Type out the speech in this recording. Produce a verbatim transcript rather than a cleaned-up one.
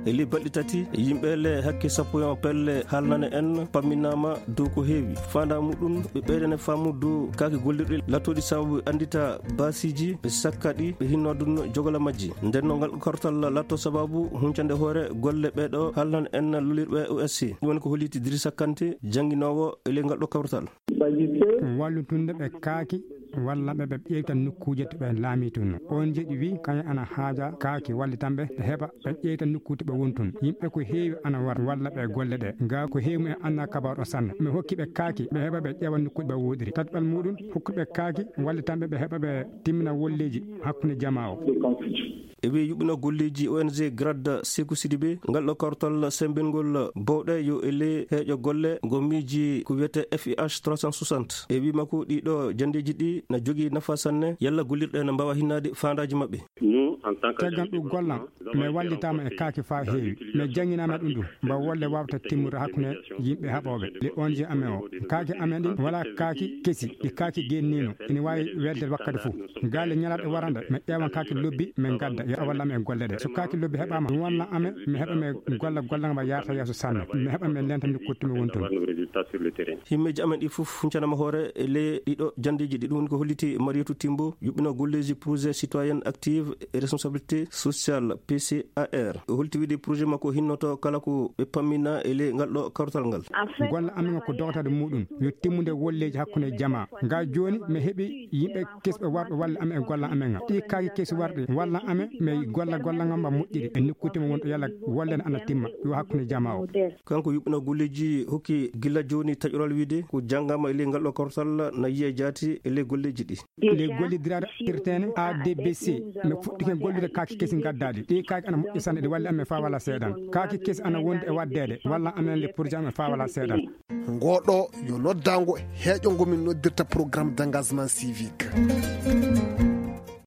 E ley balɗe tati, yimɓe le hakke sappo e on pelle haalnane en pamminaama dow ko heewi. Faandaa muɗum, ɓe ɓeydane faamu dow kaaki gollirɗi lattooɗi sababu anndita baasiiji, ɓe sakka ɗi, ɓe hinno ɗum jogola majji. Nden no ngal kortal latto sababu huncande hoore golle ɓeeɗo haalnane en lolirɓe O S C. Ɗum woni ko holliti Dirisa Kante, jannginoowo e ley ngal ɗo kawtal. Wallutunde ɓe kaaki walla ɓe ɓe ƴeewta nokkuuje to ɓe laamitunoo. O N G ɗi wi kañum ana haaja kaaki wallitanɓe ɓe heɓa ɓe ƴeewta nokku to ɓe wontun. Yimɓe ko heewi ana war walla ɓe golle ɗe. Ga ko heewi mumen anna kabaru o sanne. Mi hokki ɓe kaaki ɓe heɓa ɓe ƴeewa nokkuuje ɓe woɗiri. Tataɓal muɗum hokkuɓe kaaki wallitanɓe ɓe heɓa ɓe timmina wolleeji hakkunde jamaa o. E wi yuɓɓino golleeji O N G Grad Seku Sidibe, ngal ɗo kawtal sembingol bowɗe yo e ley heeƴo golle ngo miiji ko wiyete F I H trois cent soixante. E wi makko ɗiɗo janndeeji ɗi na jogii nafa sanne, yalla gollirɗe na mbaawa hinnaade faandaaji maɓɓe. Caggal ɗum gollam, mi wallitaama e kaaki faa heewi. Mi jannginaama ɗum ɗum, mba wolle waawta timmude hakkunde yimɓe haɓooɓe. Le O N G amen o, kaaki amen ɗin wala kaaki kesi, ɗi kaaki gennino, ina waawi welde wakkati fof. Gaale ñalaaɗe warande, mi ƴeewan kaaki lobbi, mi gadda, yo a wallam e golle ɗe. So kaaki lobbi heɓaama, mi wonna amen, mi heɓa mi golla gollal ngal yarta yeeso sanne. Mi heɓa mi lenta nokku to mi woni toon. Himmeeji amen ɗi fof huncanaama hoore e ley ɗiɗo janndeeji ɗi, ɗum woni ko holliti Marietou Timbo, yuɓɓino golleeji projet citoyenne active et responsabilité sociale, P C A R. O holti wiide projet makko hinnoto kala ko ɓe pammina e ley ngal ɗo kawtal ngal. Golle amen ko dogataade muɗum yo timmude wolleeji hakkunde jamaa. Ga jooni mi heɓi yimɓe kesɓe warɓe walla amen e golla amen ngal. Ɗi kaaki kesi warɗi walla amen mi golla golla ngam mba moƴƴiri e nokkuuje mum wonɗo yalla wolle ne ana timma yo hakkunde jamaa o. Kanko yuɓɓino golleeji hokki gila jooni taƴoral wiide ko janngaama e ley ngal ɗo kawtal na yiya jaati e ley golleeji ɗi. Nde gollidiraaɗo irteene A D B C, mi fuɗɗike gollude kaaki kesi gaddaɗi. Ɗi kaaki ana moƴƴi sanne, ɗi walli amen faa wala seeɗan. Kaaki kesi ana wondi e waddeede, walla amen le projet amen faa wala seeɗan. Ngoɗo yo noddango heeƴo ngo min noddirta programme d'engagement civique.